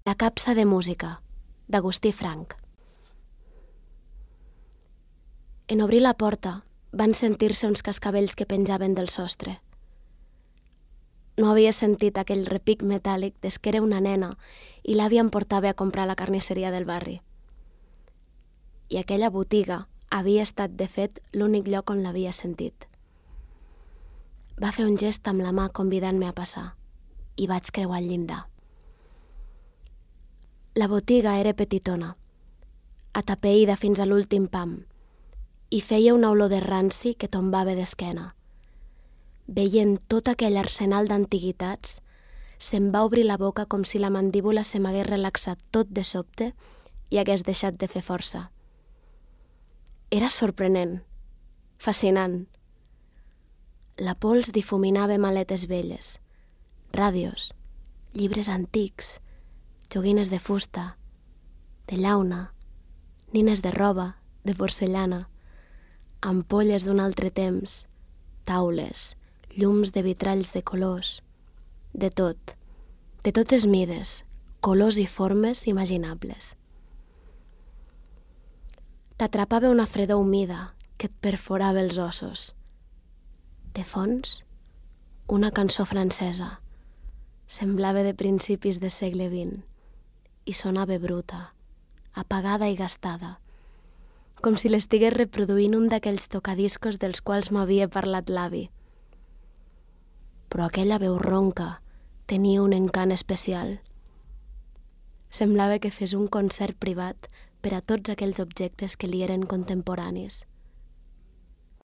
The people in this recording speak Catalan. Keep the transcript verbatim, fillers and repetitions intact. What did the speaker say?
La capsa de música, d'Agustí Frank. En obrir la porta van sentir-se uns cascavells que penjaven del sostre. No havia sentit aquell repic metàl·lic des que era una nena i l'àvia em portava a comprar a la carnisseria del barri. I aquella botiga havia estat, de fet, l'únic lloc on l'havia sentit. Va fer un gest amb la mà convidant-me a passar i vaig creuar el llindar. La botiga era petitona, atapeïda fins a l'últim pam, i feia una olor de ranci que tombava d'esquena. Veient tot aquell arsenal d'antiguitats, se'm va obrir la boca com si la mandíbula se m'hagués relaxat tot de sobte i hagués deixat de fer força. Era sorprenent, fascinant. La pols difuminava maletes velles, ràdios, llibres antics, joguines de fusta, de llauna, nines de roba, de porcellana, ampolles d'un altre temps, taules, llums de vitralls de colors, de tot, de totes mides, colors i formes imaginables. T'atrapava una fredor humida que et perforava els ossos. De fons, una cançó francesa. Semblava de principis del segle vint i sonava bruta, apagada i gastada, com si l'estigués reproduint un d'aquells tocadiscos dels quals m'havia parlat l'avi. Però aquella veu ronca tenia un encant especial. Semblava que fes un concert privat per a tots aquells objectes que li eren contemporanis.